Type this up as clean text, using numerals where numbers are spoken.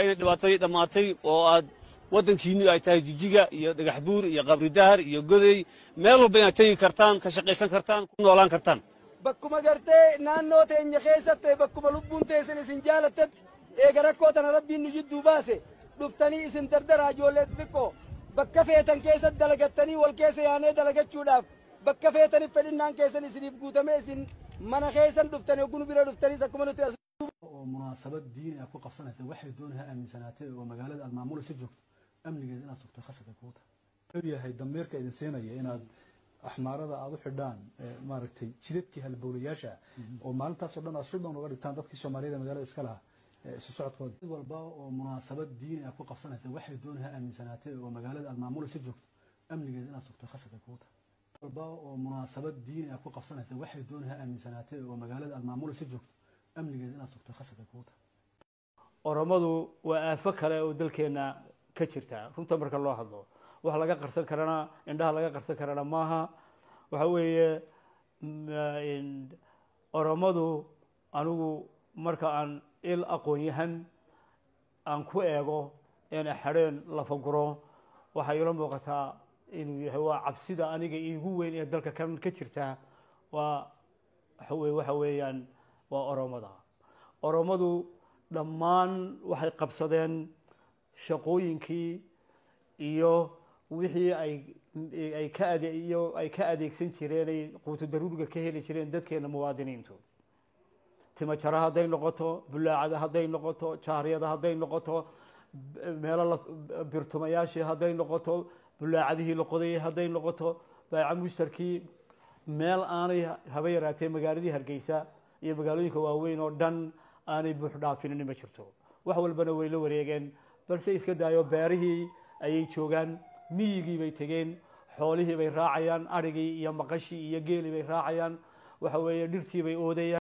Inay dhibaatadii dhammaatay oo aad waddankiinnu ay tahay Jijiga iyo Dhagaxbuur iyo Qabridahar iyo Godey, meel walba inaad tegi kartaan, ka shaqaysan kartaan, ku noolaan kartaan. Bakkuma gartee naannoo teenya keessatti, bakkuma lubbuun teessan isin jaalattetti, eega rakkoo tana Rabbiin nu jidduu baase, dhuftanii isin dardaraa ijoollee xixiqqoo bakka feetan keessatti dalagattanii, wal keessa yaanee dalagachuudhaaf bakka feetaniif fedhinnaan keessan isiniif guutamee, isin mana keessan dhuftanii hogguu nu bira dhuftaniis akkuma nuti as oo munaasabad diini ah ku qabsanaysa, waxay doonaysaa aaminsanaatay oo magaalada aad maamulaysa joogto, amnigeeda inaad sugto khasab ay kugu tahay. Wuxuu yahay dameerka idin siinaya inaad Axmaarada aada u xidhaan, maaragtay, jidadkii halbowlayaasha oo maalintaasoo dhan aad shutdown uga dhigtaan dadkii Soomaaliyada magaalada iska lahaa isu socodkooda? Cid walba oo munaasabad diini ah ku qabsanaysa, waxay doonaysaa aaminsanaatay oo magaalada aad maamulaysa joogto, amnigeeda inaad sugto khasab ay kugu tahay. Walba oo munaasabad diini ah ku qabsanaysa, waxay doonaysaa aaminsanaatay oo magaalada aad maamulaysa joogto, amnigeeda inaad sugto khasab ay kugu tahay. Oromadu waa aafo kale oo dalkeenna ka jirta. Runta marka loo hadlo, wax laga qarsan karana, indhaha laga qarsan karana maaha. Waxa weeye Oromadu, anigu marka aan il aqoon-yahan aan ku eego eena xadheen lafaguro, waxay ila muuqataa inuu yahay waa cabsida aniga iigu weyn ee dalka kan ka jirta. Waa waxa weeyaan waa Oromada. Oromadu dhammaan waxay qabsadeen shaqooyinkii iyo wixii ay ka ade iyo ay ka adeegsan jireen, ay quuto daruuriga ka heli jireen dadkeena muwaadiniintu. Timajara hadday noqoto, bulaacada hadday noqoto, jaaryada hadday noqoto, meelo la birtumayaashii hadday noqoto, bulaacadihii la qodayay hadday noqoto, baaca mushtarkii, meel aanay haba yaraatee magaaladii Hargeysa iyo magaalooyinka waaweyn oo dhan aanay buux dhaafinin ma jirto. Wax walbana way la wareegeen, balse iska daayo beerihii ayay joogaan, miyigii bay tegeen, xoolihii bay raacayaan, adhigii iyo maqashii iyo geelii bay raacayaan, waxa weeye dhirtii bay oodayaan.